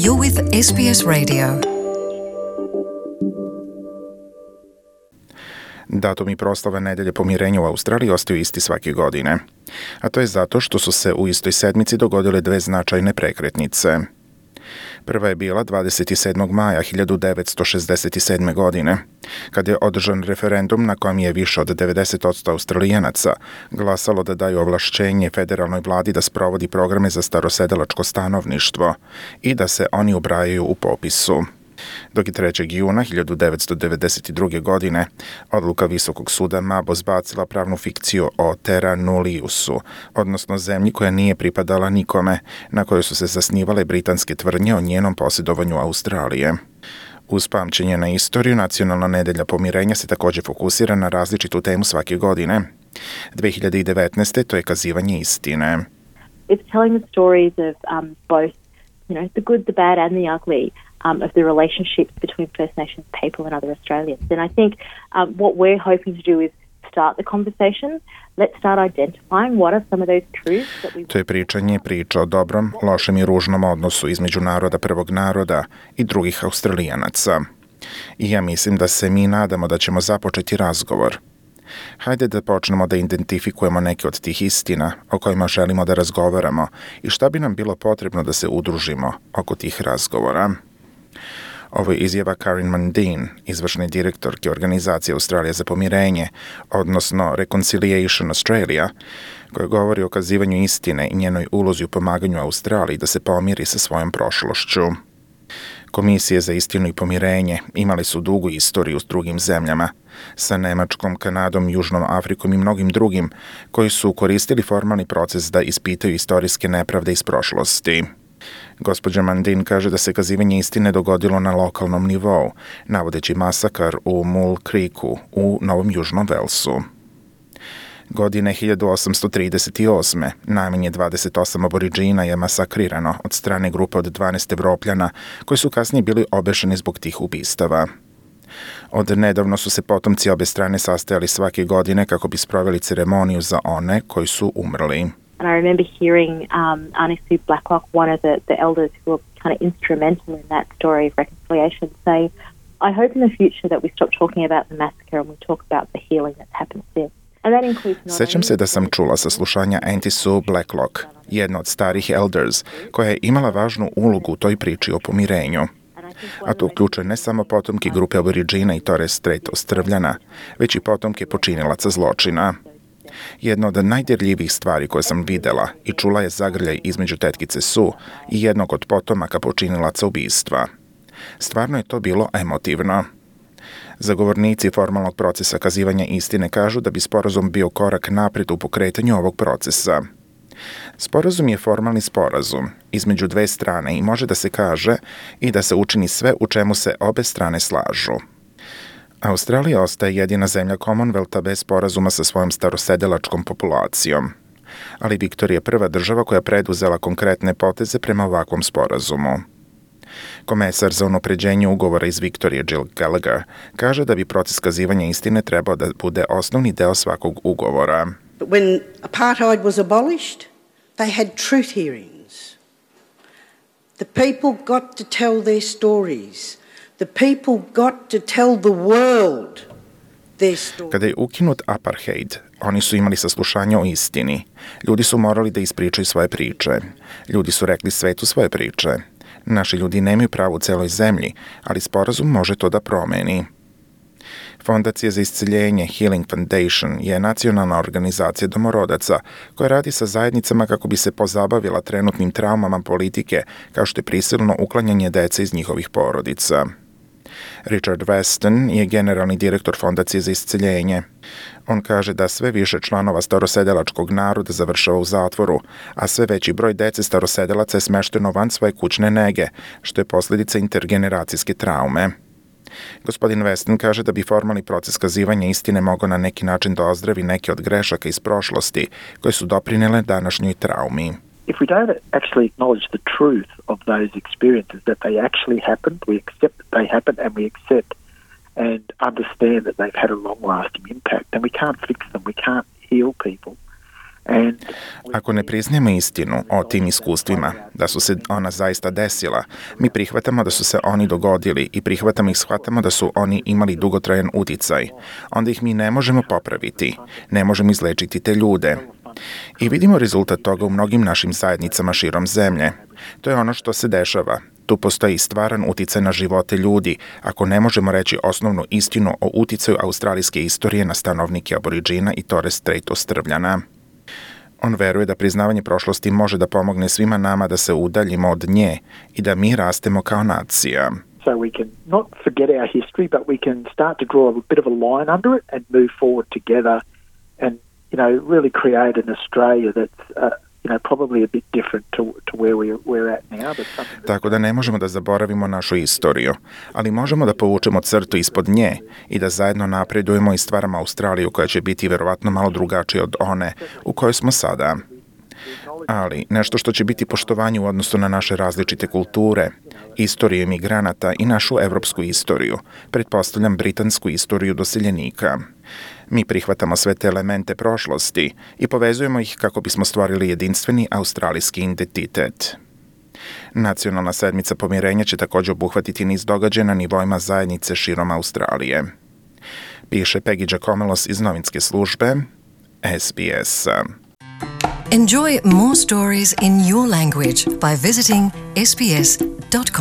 You're with SBS Radio. Datumi proslave Nedelje pomirenja u Australiji ostaju isti svake godine. A to je zato što su se u istoj sedmici dogodile dve značajne prekretnice. Prva je bila 27. maja 1967. godine, kada je održan referendum na kojem je više od 90% Australijanaca glasalo da daju ovlašćenje federalnoj vladi da sprovodi programe za starosedelačko stanovništvo i da se oni ubrajaju u popisu. Dok je 3. juna 1992. godine odluka Visokog suda Mabo zbacila pravnu fikciju o terra nulliusu, odnosno zemlji koja nije pripadala nikome, na kojoj su se zasnivale britanske tvrdnje o njenom posjedovanju Australije. Uz pamćenje na istoriju, Nacionalna nedelja pomirenja se također fokusira na različitu temu svake godine. 2019. to je kazivanje istine. It's telling the stories of both, the good, the bad and the ugly. Of the relationships between First Nations people and other Australians. And I think what we're hoping to do is start the conversation. Let's start identifying what are some of those truths that we... To je priča o dobrom, lošem i ružnom odnosu između naroda prvog naroda i drugih Australijanaca. I ja mislim da se mi nadamo da ćemo započeti razgovor. Hajde da počnemo da identifikujemo neke od tih istina o kojima želimo da razgovaramo i šta bi nam bilo potrebno da se udružimo oko tih razgovora. Ovo je izjava Karen Mundine, izvršne direktorke organizacije Australija za pomirenje, odnosno Reconciliation Australia, koja govori o kazivanju istine i njenoj ulozi u pomaganju Australiji da se pomiri sa svojom prošlošću. Komisije za istinu i pomirenje imali su dugu istoriju s drugim zemljama, sa Nemačkom, Kanadom, Južnom Afrikom i mnogim drugim, koji su koristili formalni proces da ispitaju istorijske nepravde iz prošlosti. Gospođa Mundine kaže da se kazivanje istine dogodilo na lokalnom nivou, navodeći masakar u Mule Creeku u Novom Južnom Velsu. Godine 1838. najmanje 28 aboriđina je masakrirano od strane grupe od 12 Evropljana, koji su kasnije bili obešeni zbog tih ubistava. Od nedavno su se potomci obe strane sastajali svake godine kako bi sproveli ceremoniju za one koji su umrli. And I remember hearing Aunty Sue Blacklock, one of the elders who were kind of instrumental in that story of reconciliation, say, I hope in the future that we stop talking about the massacre and we talk about the healing that's happened since. Sećam se da sam čula saslušanja Aunty Sue Blacklock, jedna od starih elders, koja je imala važnu ulogu u toj priči o pomirenju. A to uključuje ne samo potomke grupe aboriđina i Torres Strait Ostrvljana, već i potomke počinilaca zločina. Jedna od najdirljivijih stvari koje sam videla i čula je zagrljaj između tetkice Sue i jednog od potomaka počinilaca ubistva. Stvarno je to bilo emotivno. Zagovornici formalnog procesa kazivanja istine kažu da bi sporazum bio korak naprijed u pokretanju ovog procesa. Sporazum je formalni sporazum između dve strane i može da se kaže i da se učini sve u čemu se obe strane slažu. Australija ostaje jedina zemlja Commonwealtha bez sporazuma sa svojom starosedelačkom populacijom. Ali Viktorija je prva država koja preduzela konkretne poteze prema ovakvom sporazumu. Komesar za unapređenje ugovora iz Viktorije Jill Gallagher kaže da bi proces kazivanja istine trebao da bude osnovni deo svakog ugovora. When apartheid was abolished, they had truth hearings. The people got to tell their stories. The people got to tell the world their story. Kada je ukinut apartheid, oni su imali saslušanje o istini. Ljudi su morali da ispričaju svoje priče. Ljudi su rekli svetu svoje priče. Naši ljudi nemaju pravo u celoj zemlji, ali sporazum može to da promeni. Fondacija za isceljenje Healing Foundation je nacionalna organizacija domorodaca koja radi sa zajednicama kako bi se pozabavila trenutnim traumama politike, kao što je prisilno uklanjanje dece iz njihovih porodica. Richard Weston je generalni direktor Fondacije za isceljenje. On kaže da sve više članova starosedelačkog naroda završava u zatvoru, a sve veći broj dece starosedelaca je smešteno van svoje kućne nege, što je posljedica intergeneracijske traume. Gospodin Weston kaže da bi formalni proces kazivanja istine mogao na neki način da ozdravi neke od grešaka iz prošlosti koje su doprinele današnjoj traumi. If we don't actually acknowledge the truth of those experiences, that they actually happened, we accept that they happened and we accept and understand that they've had a long-lasting impact, then we can't fix them, we can't heal people. Ako ne priznajemo istinu o tim iskustvima, da su se ona zaista desila, mi prihvatamo da su se oni dogodili i prihvatamo i shvatamo da su oni imali dugotrajan uticaj, onda ih mi ne možemo popraviti, ne možemo izlečiti te ljude. I vidimo rezultat toga u mnogim našim zajednicama širom zemlje. To je ono što se dešava. Tu postoji stvaran uticaj na živote ljudi, ako ne možemo reći osnovnu istinu o uticaju australijske istorije na stanovnike Aboriđina i Torres Strait Ostrvljana. On veruje da priznavanje prošlosti može da pomogne svima nama da se udaljimo od nje i da mi rastemo kao nacija. So we can not forget our history, but we can start to draw a bit of a line under it and move forward together and, really create an Australia that's, probably a bit different to where we're at now. Tako da ne možemo da zaboravimo našu istoriju, ali možemo da povučemo crtu ispod nje i da zajedno napredujemo i stvaramo Australiju koja će biti verovatno malo drugačija od one u kojoj smo sada. Ali nešto što će biti poštovanje u odnosu na naše različite kulture, istoriju imigranata i našu evropsku istoriju, pretpostavljam britansku istoriju doseljenika. Mi prihvatamo sve te elemente prošlosti i povezujemo ih kako bismo stvorili jedinstveni australijski identitet. Nacionalna sedmica pomirenja će također obuhvatiti niz događaja na nivoima zajednice širom Australije. Piše Peggy Giacomelos iz novinske službe SBS. Enjoy more stories in your language by visiting sbs.com.au.